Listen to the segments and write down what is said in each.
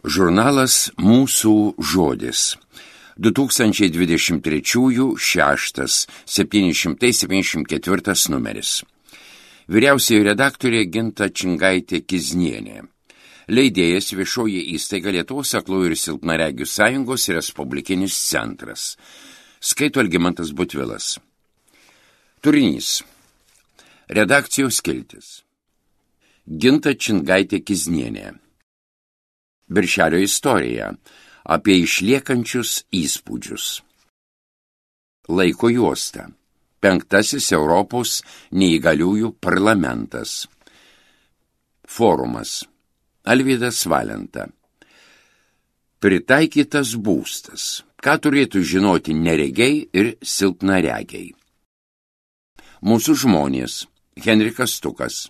Žurnalas Mūsų žodis. 2023 6 774 numeris. Vyriausioji redaktorė Ginta Čingaitė-Kiznienė. Leidėjas Viešoji įstaiga Lietuvos aklųjų ir silpnaregių sąjungos Respublikinis centras. Skaito Algimantas Butvilas. Turinys. Redakcijos skiltis. Ginta Čingaitė-Kiznienė. Birželio istorija apie išliekančius įspūdžius. Laiko juosta. 5. Europos neįgaliųjų parlamentas. Forumas. Alvydas Valenta. Pritaikytas būstas. Ką turėtų žinoti neregiai ir silpnaregiai. Mūsų žmonės. Henrikas Stukas.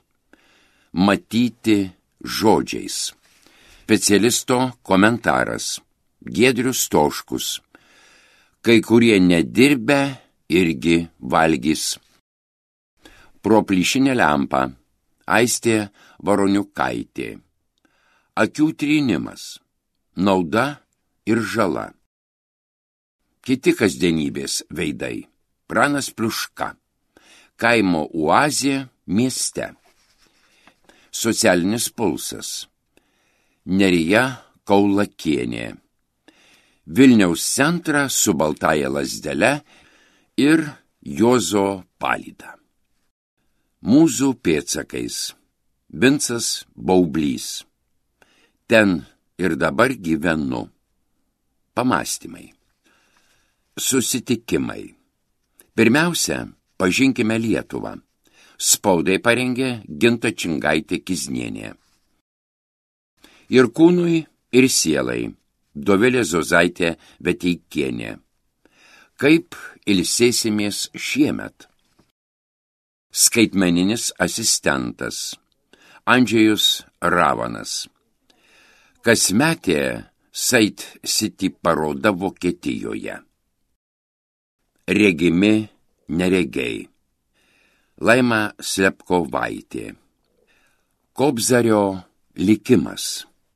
Matyti žodžiais. Specialisto komentaras. Giedrius Stoškus. Kai kurie nedirbę irgi valgys. Pro plyšinę lempą. Aistė Varoniukaitė. Akių trynimas. Nauda ir žala. Kiti kasdienybės veidai. Pranas Pliuška. Kaimo oazė mieste. Socialinis pulsas. Nerija Kaulakienė. Vilniaus centrą su baltaja lazdele ir Juozo palyda. Mūzų pėdsakais. Vincas Baublys. Ten ir dabar gyvenu. Pamąstymai. Susitikimai. Pirmiausia, pažinkime Lietuvą. Spaudai parengė Ginta Čingaitė-Kiznienė. Ir kūnui, ir sielai. Dovilė Zozaitė Veteikienė. Kaip ilsėsimės šiemet? Skaitmeninis asistentas. Andžejus Ravanas. Kasmetė Sait City paroda Vokietijoje. Regimi neregiai. Laima Slepkovaitė. Kobzario likimas.